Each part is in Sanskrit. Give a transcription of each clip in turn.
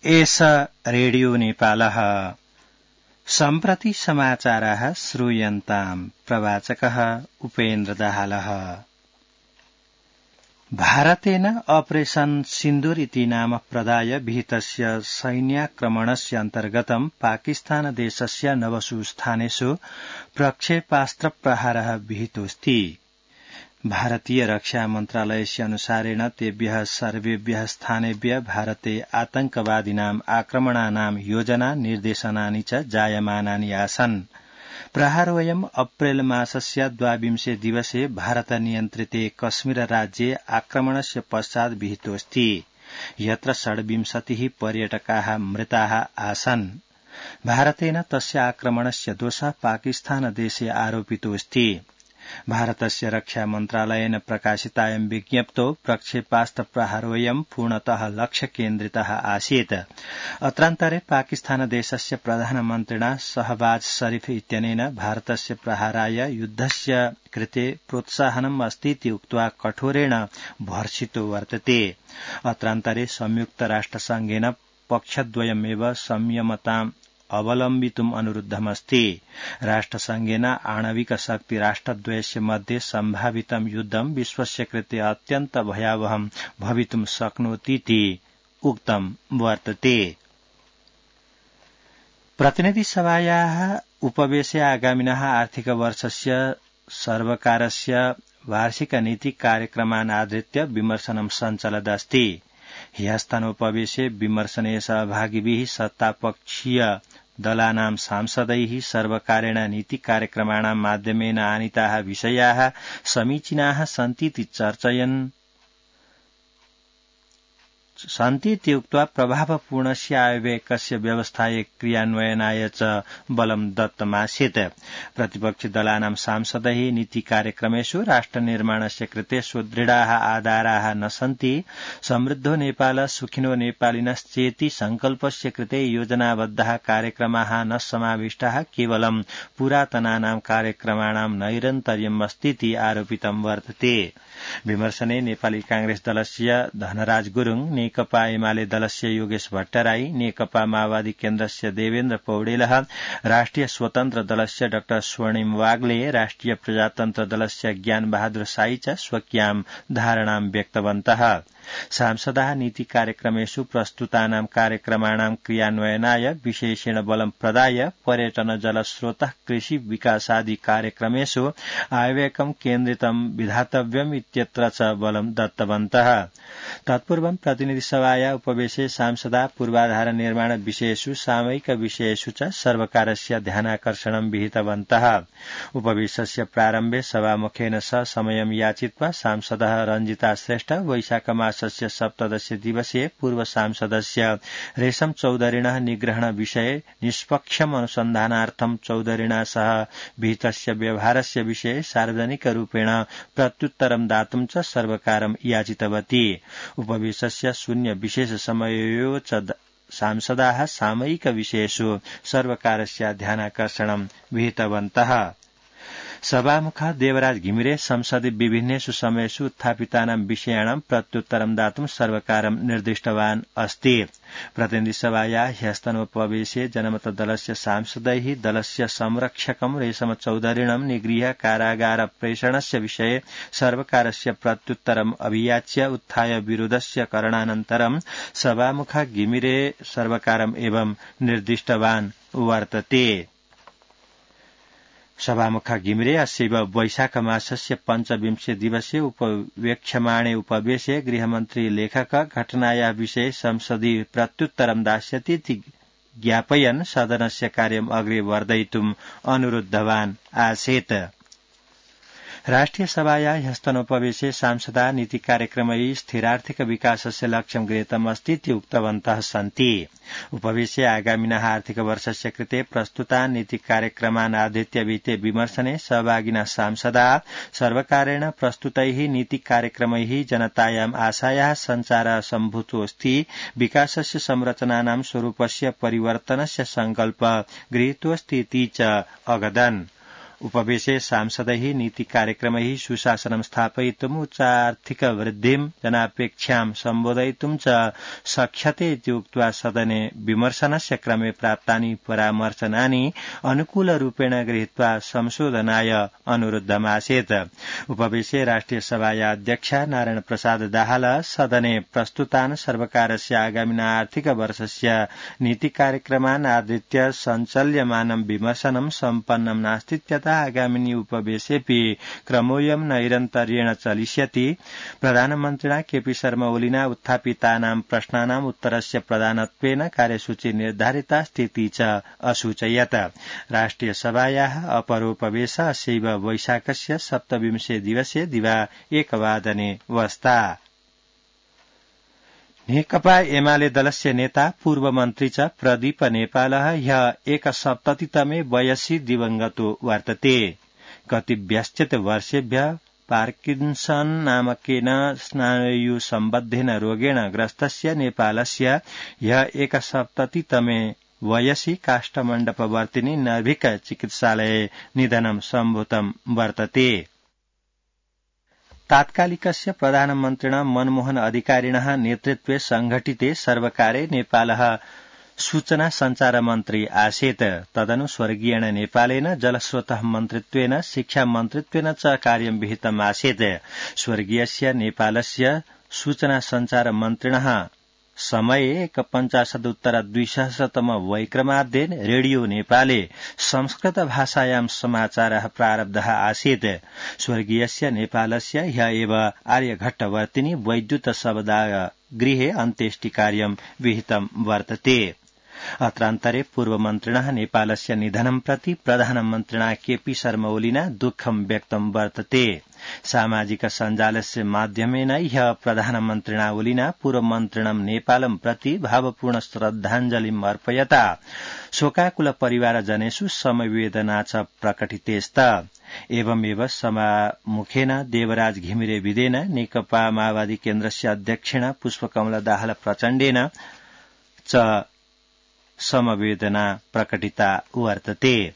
एष रेडियो नेपालः। सम्प्रति समाचाराः श्रूयन्ताम्। प्रवाचकः उपेन्द्र दाहालः। भारतेन ऑपरेशन सिन्दूर इति नाम प्रदाय विहितस्य सैन्याक्रमणस्य अन्तर्गतं पाकिस्तान देशस्य नवसु स्थानेषु प्रक्षेपास्त्र प्रहारः विहितोऽस्ति। भारतीय रक्षा मन्त्रालयस्य अनुसारेण तेभ्यः सर्वेभ्यः स्थानेभ्यः भारते आतंकवादिनाम् आक्रमणानां योजना निर्देशनानि च जायमानानि आसन्। प्रहारोऽयम् अप्रेल मासस्य 22 दिवसे भारत नियन्त्रिते कश्मीर राज्ये आक्रमणस्य पश्चात् विहितोऽस्ति, यत्र 26 पर्यटकाः मृताः आसन्। भारतेन तस्य आक्रमणस्य दोषः पाकिस्तान देशे आरोपितोऽस्ति। भारतस्य रक्षा मन्त्रालयेन प्रकाशितायं विज्ञप्तौ प्रक्षेपास्त्र प्रहारोऽयं पूर्णतः लक्ष्यकेन्द्रितः आसीत्। अत्रान्तरे पाकिस्तान देशस्य प्रधानमन्त्रिणा शहबाज शरीफ इत्यनेन भारतस्य प्रहाराय युद्धस्य कृते प्रोत्साहनम् अस्तीति उक्त्वा कठोरेण भर्त्सितो वर्तते। अत्रान्तरे संयुक्त राष्ट्रसंघेन पक्षद्वयमेव संयमताम् अवलम्बितुम् अनुरुद्धमस्ति। राष्ट्रसंघेन आणविक शक्ति राष्ट्रद्वयस्य मध्ये सम्भावितं युद्धं विश्वस्य कृते अत्यन्त भयावहं भवितुं शक्नोतीति उक्तं वर्तते। प्रतिनिधिसभायाः उपवेशे आगामिनः आर्थिक वर्षस्य सर्वकारस्य वार्षिक नीति कार्यक्रमान् आधृत्य विमर्शनं सञ्चलदस्ति। ह्यस्तनोपवेशे विमर्शने सहभागिभिः सत्तापक्षीय दलानां सांसदैः सर्वकारेण नीति कार्यक्रमाणां माध्यमेन आनीताः विषयाः समीचीनाः सन्तीति सन्तीति उक्त्वा प्रभावपूर्णस्य आयव्ययस्य व्यवस्थायै क्रियान्वयनाय च बलं दत्तमासीत्। प्रतिपक्षि दलानां सांसदैः नीति कार्यक्रमेषु राष्ट्रनिर्माणस्य कृते सुदृढाः आधाराः न सन्ति, समृद्धो नेपाल सुखिनो नेपालिनश्चेति संकल्पस्य कृते योजनाबद्धाः कार्यक्रमाः न समाविष्टाः, केवलं पुरातनानां कार्यक्रमाणां नैरन्तर्यम् अस्तीति आरोपितं वर्तते। विमर्शने नेपाली कांग्रेस दलस्य धनराज गुरुङ, नेकपा एमाले दलस्य योगेश भट्टराई, नेकपा माओवादी केन्द्रस्य देवेन्द्र पौडेलः, राष्ट्रिय स्वतन्त्र दलस्य डाक्टर स्वर्णिम वाग्ले, राष्ट्रिय प्रजातन्त्र दलस्य ज्ञान बहादुर साई च स्वकीयां धारणां व्यक्तवन्तः। सांसदाः नीति कार्यक्रमेषु प्रस्तुतानां कार्यक्रमाणां क्रियान्वयनाय विशेषेण बलं प्रदाय पर्यटन जलस्रोतः कृषि विकासादि कार्यक्रमेषु आयव्ययकं केन्द्रितं विधातव्यम् इत्यत्र च बलं दत्तवन्तः। तत्पूर्वं प्रतिनिधिसभाया उपवेशे सांसदाः पूर्वाधार निर्माण विषयेषु सामयिक विषयेषु च सर्वकारस्य ध्यानाकर्षणं विहितवन्तः। उपवेशस्य प्रारम्भे सभामुखेन सह समयं याचित्वा सांसदः रञ्जिता श्रेष्ठ वैशाख मासस्य 17 दिवसे पूर्व सांसदस्य रेशम चौधरीणः निग्रहण विषये निष्पक्षम् अनुसन्धानार्थं चौधरीणा सह विहितस्य व्यवहारस्य विषये सार्वजनिकरूपेण प्रत्युत्तरं दातुं च सर्वकारं याचितवती। उपवेशस्य शून्य विशेष समययोः च सांसदाः सामयिक विषयेषु सर्वकारस्य ध्यानाकर्षणं विहितवन्तः। सभामुखः देवराज घिमिरे संसदे विभिन्नेषु समयेषु उत्थापितानां विषयाणां प्रत्युत्तरं दातुं सर्वकारं निर्दिष्टवान् अस्ति। प्रतिनिधिसभायाः ह्यस्तनोपवेशे जनमत दलस्य सांसदैः दलस्य संरक्षकं रेशम चौधरीणं निगृह्य कारागार प्रेषणस्य विषये सर्वकारस्य प्रत्युत्तरम् अभियाच्य उत्थाय विरोधस्य करणानन्तरं सभामुखः घिमिरे सर्वकारम् एवं निर्दिष्टवान् वर्तते। सभामुखः घिमिरे अस्यैव वैशाख मासस्य 25 दिवसे उपवेक्ष्यमाणे उपवेशे गृहमन्त्री लेखक घटनायाः विषये संसदि प्रत्युत्तरं दास्यतीति ज्ञापयन् सदनस्य कार्यम् अग्रे वर्धयितुम् अनुरुद्धवान् आसीत्। राष्ट्रिय सभायाः ह्यस्तनोपवेशे सांसदाः नीति कार्यक्रमैः स्थिरार्थिक विकासस्य लक्ष्यं गृहीतम् अस्तीति उक्तवन्तः सन्ति। उपवेशे आगामिनः आर्थिक वर्षस्य कृते प्रस्तुतान् नीति कार्यक्रमान् आधृत्य विहिते विमर्शने सहभागिनः सांसदाः सर्वकारेण प्रस्तुतैः नीति कार्यक्रमैः जनतायाम् आशायाः सञ्चारः सम्भूतोऽस्ति, विकासस्य संरचनानां स्वरूपस्य परिवर्तनस्य संकल्प गृहीतोऽस्ति इति च अगदन्। उपवेशे सांसदैः नीति कार्यक्रमैः सुशासनं स्थापयितुम् उच्चार्थिक वृद्धिं जनापेक्षां सम्बोधयितुं च शक्यते इति उक्त्वा सदने विमर्शनस्य क्रमे प्राप्तानि परामर्शनानि अनुकूलरूपेण गृहीत्वा संशोधनाय अनुरुद्धमासीत्। उपवेशे राष्ट्रिय सभाया अध्यक्ष नारायण प्रसाद दाहाल सदने प्रस्तुतान् सर्वकारस्य आगामिना आर्थिक वर्षस्य नीति कार्यक्रमान् आधृत्य सञ्चाल्यमानं विमर्शनं सम्पन्नं नास्तीत्यतः आगामिनि उपवेशेऽपि क्रमोऽयं नैरन्तर्येण चलिष्यति। प्रधानमन्त्रिणा केपी शर्मा ओलिना उत्थापितानां प्रश्नानाम् उत्तरस्य प्रधानत्वेन कार्यसूची निर्धारिता स्थिति च असूचयत्। राष्ट्रिय सभायाः अपरोपवेश अशैव वैशाखस्य 27 दिवसे दिवा 1 वादने वस्ता। नेकपा एमाले दलस्य नेता पूर्व मन्त्री च प्रदीप नेपालः ह्यः 71तमे वयसि दिवंगतो वर्तते। कतिव्यश्चित वर्षेभ्यः पार्किन्सन नामकेन स्नायुसम्बद्धेन रोगेण ग्रस्तस्य नेपालस्य ह्यः 71तमे वयसि काष्ठमण्डपवर्तिनि नर्भिक चिकित्सालये निधनं सम्भूतं वर्तते। तात्कालिकस्य प्रधानमन्त्रिणा मनमोहन अधिकारिणः नेतृत्वे संघटिते सर्वकारे नेपालः सूचना संचार मन्त्री आसीत्। तदनु स्वर्गीयेण नेपालेन जलस्रोतः मन्त्रित्वेन शिक्षा मन्त्रित्वेन च कार्यं विहितम् आसीत्। स्वर्गीयस्य नेपालस्य सूचना संचार मन्त्रिणः समये 51-200 वैक्रमाद्ये रेडियो नेपाले संस्कृत भाषायां समाचारः प्रारब्धः आसीत्। स्वर्गीयस्य नेपालस्य ह्यः एव आर्यघट्टवर्तिनि वैद्युत शवदाह गृहे अन्त्येष्टिकार्यं विहितं वर्तते। अत्रान्तरे पूर्वमन्त्रिणः नेपालस्य निधनं प्रति प्रधानमन्त्रिणा केपी शर्मा ओलिना दुःखं व्यक्तं वर्तते। सामाजिक सञ्जालस्य माध्यमेन ह्यः प्रधानमन्त्रिणा ओलिना पूर्वमन्त्रिणं नेपालं प्रति भावपूर्ण श्रद्धाञ्जलिम् अर्पयता शोकाकुल परिवारजनेषु समवेदना च प्रकटितेस्त। एवमेव सभामुखेन देवराज घिमिरे विदेन नेकपा माओवादी केन्द्रस्य अध्यक्षेण पुष्पकमल दाहाल प्रचण्डेन च समवेदना प्रकटिता वर्तते।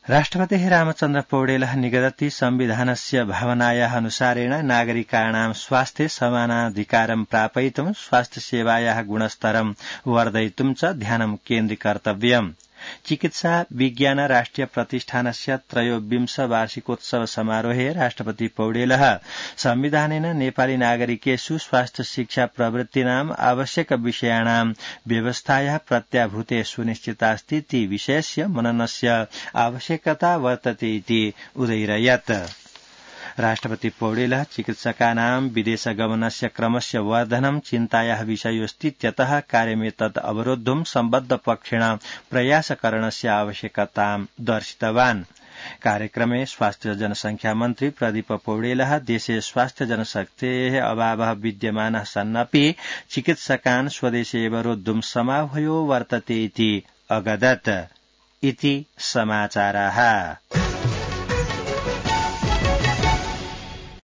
राष्ट्रपतिः रामचन्द्र पौडेलः निगदति संविधानस्य भावनायाः अनुसारेण नागरिकाणां स्वास्थ्ये समानाधिकारं प्रापयितुं स्वास्थ्यसेवायाः गुणस्तरं वर्धयितुं च ध्यानं केन्द्रीकर्तव्यम्। चिकित्सा विज्ञान राष्ट्रिय प्रतिष्ठानस्य 23 वार्षिकोत्सव समारोहे राष्ट्रपति पौडेलः संविधानेन नेपाली नागरिकेषु स्वास्थ्य शिक्षा प्रवृत्तीनाम् आवश्यक विषयाणां व्यवस्थायाः प्रत्याभूते सुनिश्चितास्ति इति विषयस्य मननस्य आवश्यकता वर्तते इति उदयिरयत्। राष्ट्रपति पौडेलः चिकित्सकानां विदेशगमनस्य क्रमस्य वर्धनं चिन्तायाः विषयोऽस्तीत्यतः कार्यमेतत् अवरोद्धुं सम्बद्धपक्षेण प्रयासकरणस्य आवश्यकतां दर्शितवान्। कार्यक्रमे स्वास्थ्य जनसंख्या मन्त्री प्रदीप पौडेलः देशे स्वास्थ्य जनशक्तेः अभावः विद्यमानः सन्नपि चिकित्सकान् स्वदेशे एव रोद्धुं समाह्वयो वर्तते इति अगदत्। इति समाचाराः।